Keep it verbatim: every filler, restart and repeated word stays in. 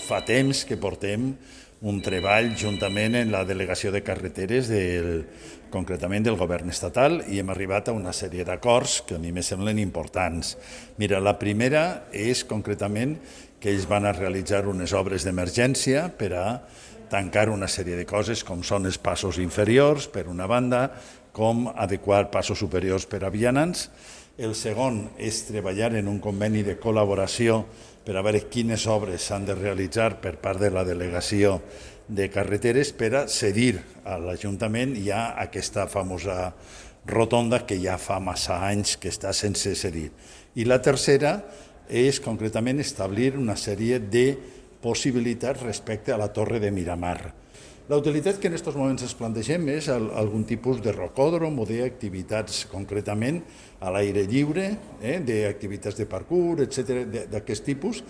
fa temps que portem un treball juntament en la delegació de carreteres, del, concretament del govern estatal, i hem arribat a una sèrie d'acords que a mi me semblen importants. Mira, la primera és concretament que ells van a realitzar unes obres d'emergència per a tancar una sèrie de coses com són els passos inferiors, per una banda, com adequar passos superiors per a vianants. El segon és treballar en un conveni de col·laboració per a veure quines obres s'han de realitzar per part de la delegació de carreteres per a cedir a l'Ajuntament ja aquesta famosa rotonda que ja fa massa anys que està sense cedir. I la tercera és concretament establir una sèrie de possibilitats respecte a la Torre de Miramar. La utilitat que en aquests moments ens plantegem és algun tipus de rocòdrom o d'activitats concretament a l'aire lliure, eh, d'activitats de parkour, etcètera, d'aquest tipus,